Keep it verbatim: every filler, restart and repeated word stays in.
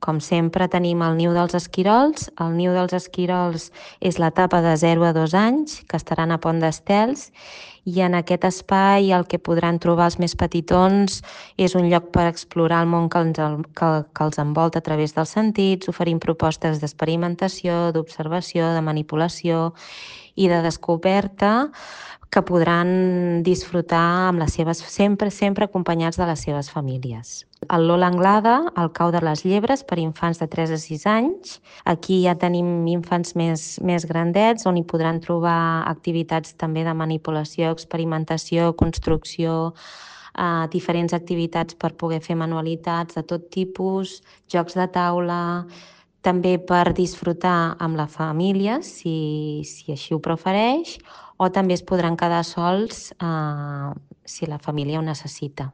Com sempre tenim el niu dels esquirols. El niu dels esquirols és l'etapa de zero a dos anys, que estaran a Pont d'Estels, i en aquest espai el que podran trobar els més petitons és un lloc per explorar el món que els, que, que els envolta a través dels sentits, oferint propostes d'experimentació, d'observació, de manipulació i de descoberta que podran disfrutar amb les seves, sempre, sempre acompanyats de les seves famílies. El Lola Anglada, el cau de les llebres, per infants de tres a sis anys. Aquí ja tenim infants més, més grandets, on hi podran trobar activitats també de manipulació, experimentació, construcció, eh, diferents activitats per poder fer manualitats de tot tipus, jocs de taula, també per disfrutar amb la família, si, si així ho prefereix, o també es podran quedar sols eh, si la família ho necessita.